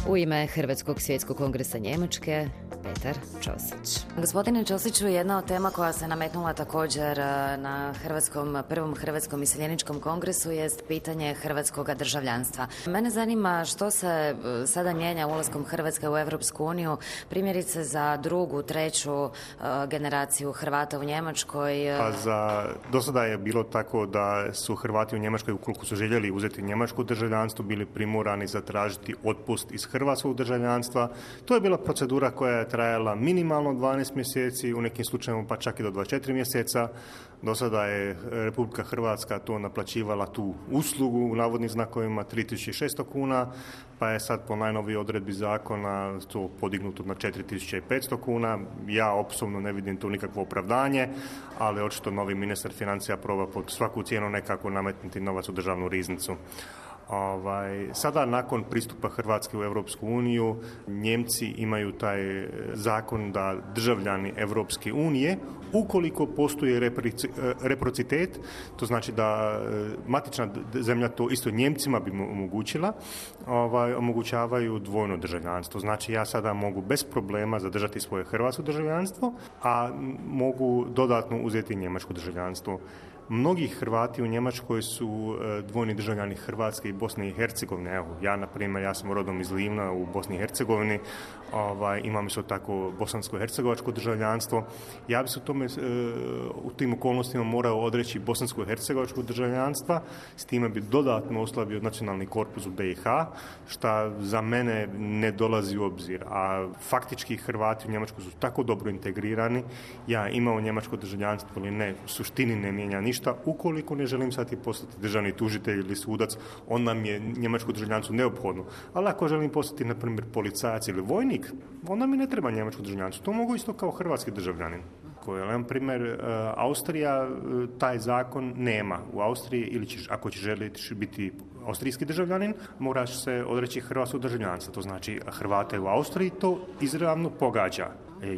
U ime Hrvatskog svjetskog kongresa Njemačke, Petar Ćosić. Gospodine Ćosiću, jedna od tema koja se nametnula također na prvom Hrvatskom iseljeničkom kongresu jest pitanje hrvatskog državljanstva. Mene zanima što se sada mijenja ulaskom Hrvatske u Europsku uniju, primjerice za drugu, treću generaciju Hrvata u Njemačkoj. Do sada je bilo tako da su Hrvati u Njemačkoj, ukoliko su željeli uzeti njemačko državljanstvo, bili primorani zatražiti otpust iz hrvatskog državljanstva. To je bila procedura koja je trajala minimalno 12 mjeseci, u nekim slučajevima pa čak i do 24 mjeseca. Do sada je Republika Hrvatska to naplaćivala tu uslugu u navodnim znakovima 3600 kuna, pa je sad po najnovijoj odredbi zakona to podignuto na 4500 kuna. Ja osobno ne vidim tu nikakvo opravdanje, ali očito novi ministar financija proba pod svaku cijenu nekako nametnuti novac u državnu riznicu. Sada nakon pristupa Hrvatske u Europsku uniju, Njemci imaju taj zakon da državljani Europske unije, ukoliko postoji reciprocitet, to znači da matična zemlja to isto Njemcima bi omogućila, omogućavaju dvojno državljanstvo. Znači ja sada mogu bez problema zadržati svoje hrvatsko državljanstvo, a mogu dodatno uzeti njemačko državljanstvo. Mnogi Hrvati u Njemačkoj su dvojni državljani Hrvatske i Bosne i Hercegovine. Evo, ja, na primjer, ja sam rodom iz Livna u Bosni i Hercegovini, imam isto tako bosansko-hercegovačko državljanstvo. Ja bi se u tim okolnostima morao odreći bosansko-hercegovačko državljanstva, s time bi dodatno oslabio nacionalni korpus u BiH, što za mene ne dolazi u obzir. A faktički Hrvati u Njemačkoj su tako dobro integrirani, ja imao njemačko državljanstvo ili ne, u suštini ne mijenja ništa. Ukoliko ne želim sad i postati državni tužitelj ili sudac, onda mi je njemačko državljanstvo neophodno. Ali ako želim postati, na primjer, policajac ili vojnik, onda mi ne treba njemačko državljanstvo. To mogu isto kao hrvatski državljanin. Na primjer, Austrija taj zakon nema. U Austriji, ili ako ćeš želiti biti austrijski državljanin, moraš se odreći hrvatskog državljanstva. To znači Hrvate u Austriji to izravno pogađa.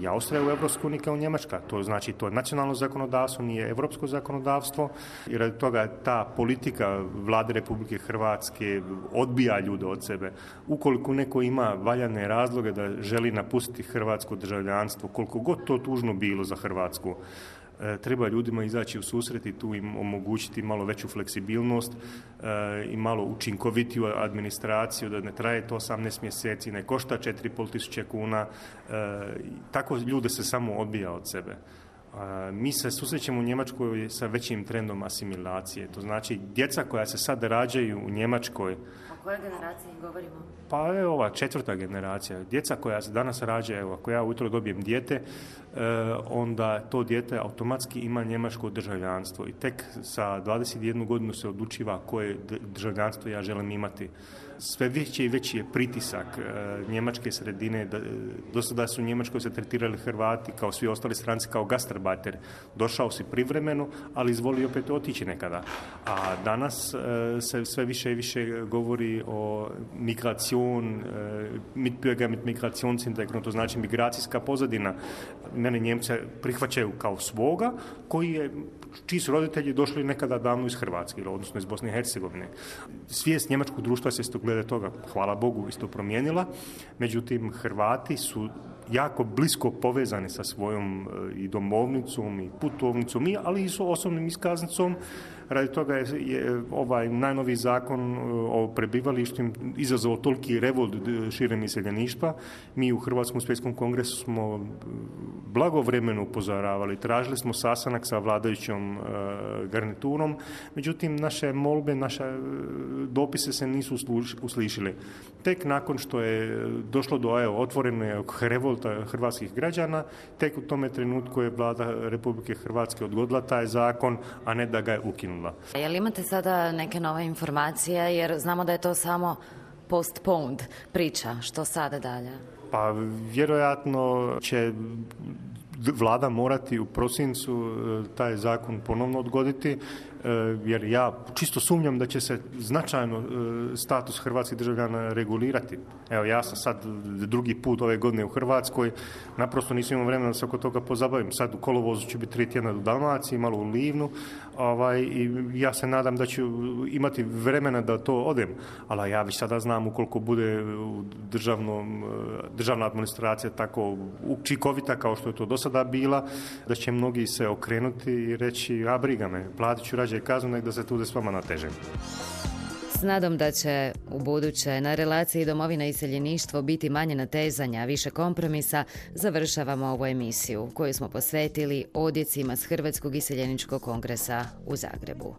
Austrija u Europskoj uniji kao Njemačka. To znači to je nacionalno zakonodavstvo, nije europsko zakonodavstvo. I radi toga ta politika vlade Republike Hrvatske odbija ljude od sebe. Ukoliko neko ima valjane razloge da želi napustiti hrvatsko državljanstvo, koliko god to tužno bilo za Hrvatsku, treba ljudima izaći u susret i tu im omogućiti malo veću fleksibilnost i malo učinkovitiju administraciju, da ne traje to 18 mjeseci, ne košta 4.500 kuna. Tako ljude se samo odbija od sebe. Mi se susrećemo u Njemačkoj sa većim trendom asimilacije. To znači djeca koja se sad rađaju u Njemačkoj. O kojoj generaciji govorimo? Pa je ova 4. generacija. Djeca koja se danas rađa, evo, ako ja ujutro dobijem dijete, onda to dijete automatski ima njemačko državljanstvo i tek sa 21 godinu se odlučiva koje državljanstvo ja želim imati. Sve veći i veći je pritisak njemačke sredine. Do sada su u Njemačkoj se tretirali Hrvati kao svi ostali stranci kao gastarbeiter. Došao si privremeno, ali izvoli opet otići nekada. A danas se sve više i više govori o migracion, mitbürger mit Migrationshintergrund, to znači migracijska pozadina. Mene Njemce prihvaćaju kao svoga, čiji su roditelji došli nekada davno iz Hrvatske, odnosno iz Bosne i Hercegovine. Svijest njemačkog društva se isto glede toga, hvala Bogu, isto promijenila. Međutim, Hrvati su jako blisko povezani sa svojom i domovnicom i putovnicom, ali i s osobnom iskaznicom. Radi toga je ovaj najnoviji zakon o prebivalištu izazvao toliki revolt širem iseljeništva. Mi u Hrvatskom svjetskom kongresu smo blagovremeno upozoravali, tražili smo sastanak sa vladajućom garniturom, međutim naše molbe, naše dopise se nisu uslišili. Tek nakon što je došlo do otvorenog revolta hrvatskih građana, tek u tome trenutku je vlada Republike Hrvatske odgodila taj zakon, a ne da ga je ukinula. Jel imate sada neke nove informacije, jer znamo da je to samo postponed priča, što sada dalje? Pa vjerojatno će vlada morati u prosincu taj zakon ponovno odgoditi. jer ja čisto sumnjam da će se značajno status hrvatskih državljana regulirati. Evo, ja sam sad drugi put ove godine u Hrvatskoj, naprosto nisam imao vremena da se oko toga pozabavim. Sad u kolovozu ću biti 3 tjedna u Dalmaciji, malo u Livnu, i ja se nadam da ću imati vremena da to odem, ali ja već sada znam ukoliko bude državna administracija tako učinkovita kao što je to do sada bila, da će mnogi se okrenuti i reći, a briga me, platit ću rađe kaznu nek da se tude s vama natežem. S nadom da će u buduće na relaciji domovina i iseljeništvo biti manje natezanja, više kompromisa, završavamo ovu emisiju koju smo posvetili odjecima s Hrvatskog iseljeničkog kongresa u Zagrebu.